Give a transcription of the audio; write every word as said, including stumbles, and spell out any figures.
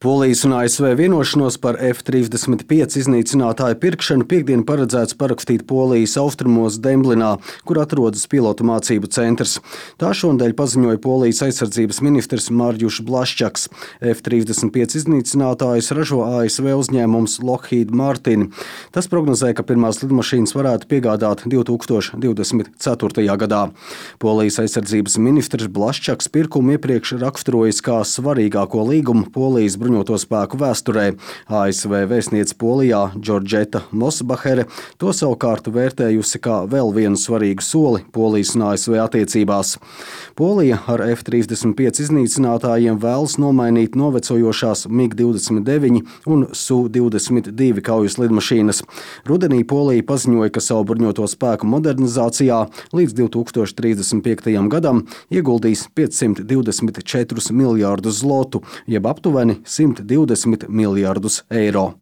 Polijas un A S V vienošanos par F trīsdesmit pieci iznīcinātāju pirkšanu piektdien paredzēts parakstīt Polijas austrumos Demblinā, kur atrodas pilotu mācību centrs. Tā šonadēļ paziņoja Polijas aizsardzības ministrs Marjuš Blaščaks. F trīsdesmit pieci iznīcinātājus ražo A S V uzņēmums Lockheed Martin. Tas prognozē, ka pirmās lidmašīnas varētu piegādāt divi tūkstoši divdesmit ceturtajā gadā. Polijas aizsardzības ministrs Blaščaks pirkumu iepriekš raksturojis kā svarīgāko līgumu Polijas bruņoto spēku vēsturē. A S V vēstniece Polijā Džordžeta Mosbahere to savukārt vērtējusi kā vēl vienu svarīgu soli Polijas un A S V attiecībās. Polija ar F trīsdesmit pieci iznīcinātājiem vēlas nomainīt novecojošās MiG divdesmit deviņi un Su divdesmit divi kaujas lidmašīnas. Rudenī Polija paziņoja, ka savu bruņoto spēku modernizācijā līdz divi tūkstoši trīsdesmit piektajam gadam ieguldīs piecsimt divdesmit četrus miljārdus zlotu, jeb aptuveni simt divdesmit miljārdus eiro.